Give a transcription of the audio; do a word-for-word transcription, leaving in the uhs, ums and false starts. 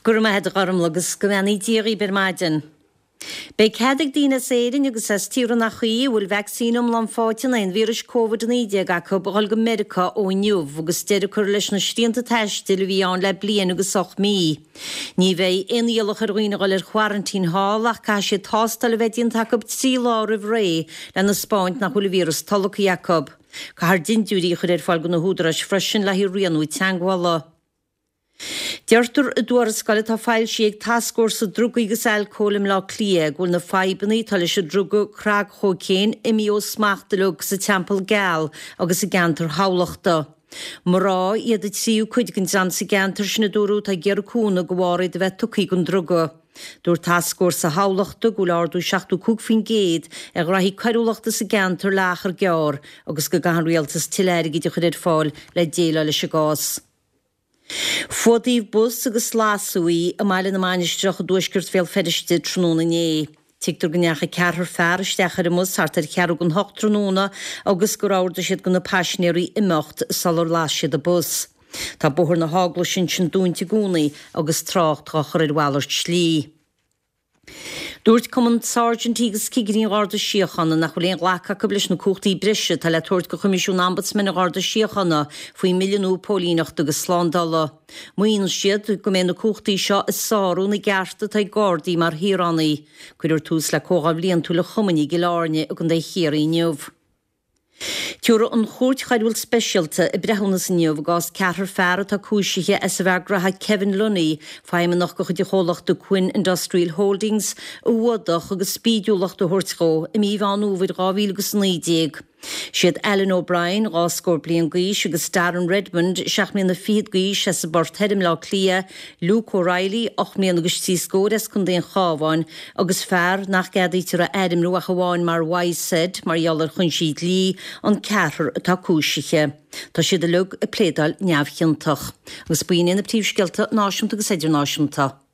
Go raibh maith agat a Ghormfhlaith agus go mbeannaí Dia dhaoibh ar maidin. Beidh cead ag daoine as Éirinn agus as tíortha nach í a bhfuil vacsaín iomlán faighte in aghaidh an víris Covid a naoi déag acu a dhul go Meiriceá ó inniu agus deireadh curtha leis na srianta taistil a bhí ann le bliain agus ocht mí. Ní bheidh aon iallach ar dhaoine a dhul ar quarantine thall ach caithfidh siad tástáil a bheith déanta acu trí lá roimh ré lena spáint nach bhfuil an víreas tolgtha acu. Caithfear dintiúirí a chur ar fáil do na húdaráis freisin le haghaidh rianú teagmhála. Deirtear i dtuarascáil atá foilsithe ag Tascfhórsa Drugaí agus Alcóil i mBleá Cliath go bhfuil na fadhbanna atá leis an druga cnagchócaon imithe ó smacht uilig sa Teampall Geal agus i gceantar Thamhlachta. Mná iad an tríú cuid den dream sa gceantar sin a dúradh atá ag iarraidh cúnamh de bharr iad a bheith tugtha don druga. Dúirt Tascfhórsa Thamhlachta go bhfuil ardú seachtó cúig faoin gcéad ar ghraithí coiriúlachta sa gceantar le achar gearr agus go gcaithfidh an rialtas tuilleadh airgid a chur ar fáil le déileáil leis an gcás. Fuadaíodh bus agus lasadh í i mBaile na Mainistreach i dtuaisceart Bhéal Feirste tráthnóna inné. Tuigtear go ndeachaigh ceathrar fear isteach ar an mbus thart ar cheathrú don hocht tráthnóna agus gur ordaigh siad do na paisinéirí imeacht sular las siad an bus. Tá Bóthar na hEaglaise ansin dúnta i gcónaí agus trácht á chur ar mhalairt slí. Dúirt Cumann Sáirsintí agus Cigirí an Gharda Síochána nach bhfuil aon ghlacadh acu leis na cumhachtaí breise atá le tabhairt do Choimisiún Ombudsman an Gharda Síochána faoin mBille nua Póilíneachta agus Slándála. Maíonn siad go mbeidh na cumhachtaí seo ag sárú na gcearta atá ag Gardaí mar shaoránaigh. Cuirfear tús le comhdháil bhliantúil an chumainn i gCill Airne i gContae Chiarraí inniu. Tabharfaidh an Chúirt Choiriúil Speisialta a breithiúnas inniu i gcás ceathrar fear atá cúisithe as an bhfear graithe Kevin Lunny, feidhmeannach de chuid an chomhlachta Quinn Industrial Holdings, a fhuadach agus spídiúlacht a thabhairt dhó i mí Mheán Fhómhair dhá mhíle agus a naoi déag. Siad Alan O'Brien, dhá scór bliain d'aois, agus Darren Redmond, seacht mbliana fichead d'aois, as an bPort Thoir i mBleá Cliath, Luke O'Reilly, ocht mbliana agus trí scór as Contae an Chabháin, agus fear nach gceadaítear a ainmniú ach amháin mar Y Z mar gheall ar chúinsí dlí, an ceathrar atá cúisithe. Tá siad uilig ag pléadáil neamhchiontach. Agus b'in iad na príomhscéalta náisiúnta agus idirnáisiúnta.